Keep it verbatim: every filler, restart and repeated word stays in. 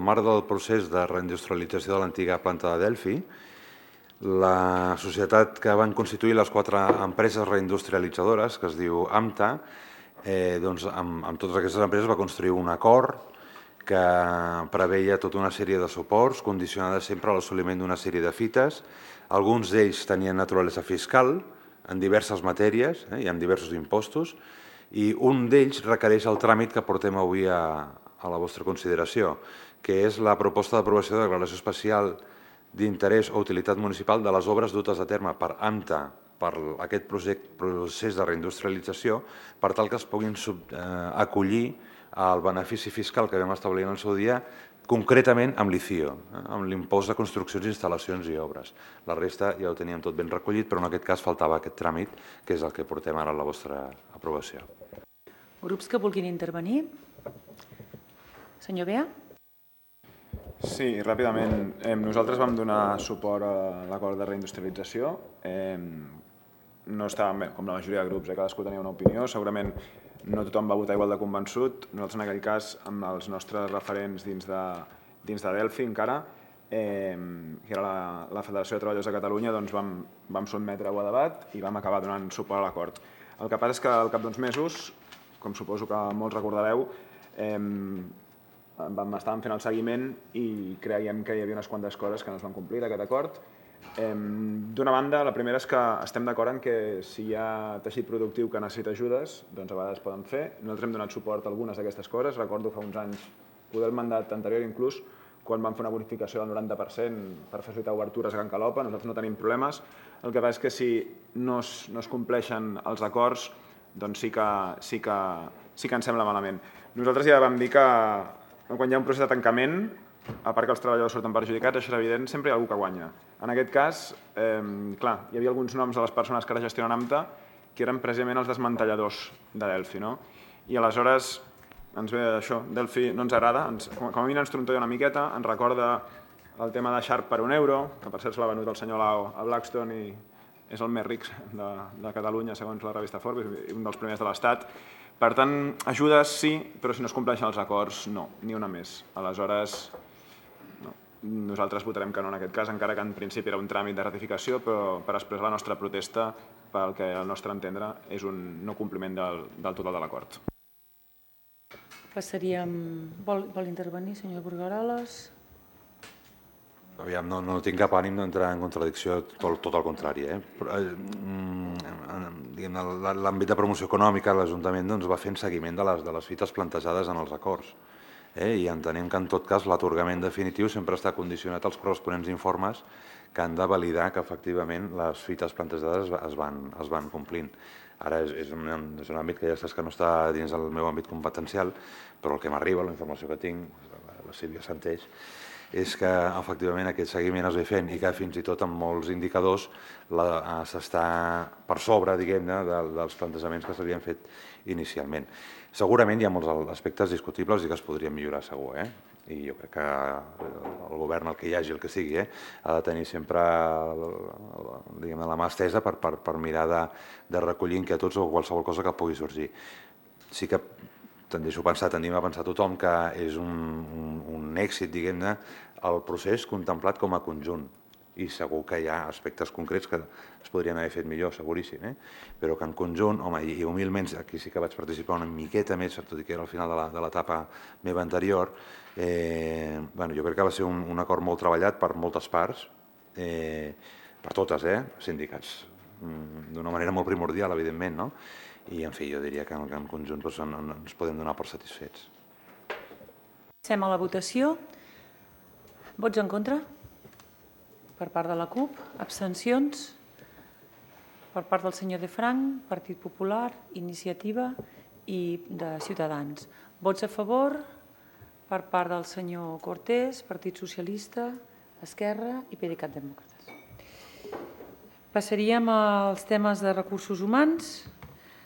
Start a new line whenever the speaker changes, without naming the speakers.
Al marc del procés de reindustrialització de l'antiga planta de Delphi, la societat que van constituir les quatre empreses reindustrialitzadores, que es diu AMTA, eh, doncs amb, amb totes aquestes empreses va construir un acord que preveia tota una sèrie de suports, condicionades sempre a l'assoliment d'una sèrie de fites. Alguns d'ells tenien naturalesa fiscal en diverses matèries eh, i en diversos impostos, i un d'ells requereix el tràmit que portem avui a, a la vostra consideració, que és la proposta d'aprovació de declaració especial d'interès o utilitat municipal de les obres dutes a terme per AMTA per aquest procés de reindustrialització, per tal que es puguin acollir al benefici fiscal que vam establir en el seu dia, concretament amb l'I C I O, amb l'impost de construccions, instal·lacions i obres. La resta ja ho teníem tot ben recollit, però en aquest cas faltava aquest tràmit, que és el que portem ara a la vostra aprovació.
Grups que vulguin intervenir? Senyor Bea?
Sí, ràpidament. Nosaltres vam donar suport a l'acord de reindustrialització. No estàvem bé, com la majoria de grups, cadascú tenia una opinió. Segurament no tothom va votar igual de convençut. Nosaltres, en aquell cas, amb els nostres referents dins de Delphi encara, que era la Federació de Treballadors de Catalunya, vam sotmetre-ho a debat i vam acabar donant suport a l'acord. El que passa és que al cap d'uns mesos, com suposo que molts recordareu, estàvem fent el seguiment i creiem que hi havia unes quantes coses que no es van complir d'aquest acord. D'una banda, la primera és que estem d'acord en que si hi ha teixit productiu que necessita ajudes, doncs a vegades es poden fer. Nosaltres hem donat suport a algunes d'aquestes coses. Recordo fa uns anys, poder el mandat anterior inclús, quan vam fer una bonificació del noranta per cent per facilitar obertures a Can Calopa. Nosaltres no tenim problemes. El que passa és que si no es compleixen els acords, doncs sí que ens sembla malament. Nosaltres ja vam dir que quan hi ha un procés de tancament, a part que els treballadors surten perjudicats, això és evident, sempre hi ha algú que guanya. En aquest cas, clar, hi havia alguns noms de les persones que ara gestionen AMTA que eren precisament els desmantelladors de Delphi. I aleshores ens ve això, Delphi no ens agrada, com a mínim ens trontolla una miqueta, ens recorda el tema de Sharp per un euro, que per cert se l'ha venut el senyor Lao a Blackstone i és el més ric de Catalunya segons la revista Forbes, un dels primers de l'Estat. Per tant, ajudes sí, però si no es compleixen els acords, no, ni una més. Aleshores, nosaltres votarem que no en aquest cas, encara que en principi era un tràmit de ratificació, però per expressar la nostra protesta pel que al nostre entendre és un no compliment del total de l'acord.
Passaríem... Vol intervenir, senyor Burgaroles?
Aviam, no tinc cap ànim d'entrar en contradicció, tot el contrari. L'àmbit de promoció econòmica, l'Ajuntament va fent seguiment de les fites plantejades en els acords i entenem que en tot cas l'atorgament definitiu sempre està condicionat als corresponents informes que han de validar que efectivament les fites plantejades es van complint. Ara és un àmbit que ja saps que no està dins del meu àmbit competencial, però el que m'arriba, la informació que tinc, la Sílvia Santeix, és que efectivament aquest seguiment es ve fent i que fins i tot amb molts indicadors s'està per sobre, diguem-ne, dels plantejaments que s'havien fet inicialment. Segurament hi ha molts aspectes discutibles i que es podrien millorar segur, i jo crec que el govern, el que hi hagi, el que sigui, ha de tenir sempre la mà estesa per mirar de recollir inquietuds o qualsevol cosa que pugui sorgir. Sí que tendeixo a pensar, tendim a pensar tothom que és un èxit, diguem-ne, el procés contemplat com a conjunt. I segur que hi ha aspectes concrets que es podrien haver fet millor, seguríssim, però que en conjunt, home, i humilment, aquí sí que vaig participar una miqueta més, tot i que era al final de l'etapa meva anterior, jo crec que va ser un acord molt treballat per moltes parts, per totes, sindicats, d'una manera molt primordial, evidentment, i, en fi, jo diria que en conjunt ens podem donar per satisfets.
Passem a la votació. Vots en contra? Per part de la CUP. Abstencions? Per part del senyor De Frank, Partit Popular, Iniciativa i de Ciutadans. Vots a favor per part del senyor Cortés, Partit Socialista, Esquerra i PDeCAT Demòcrates. Passaríem als temes de recursos humans.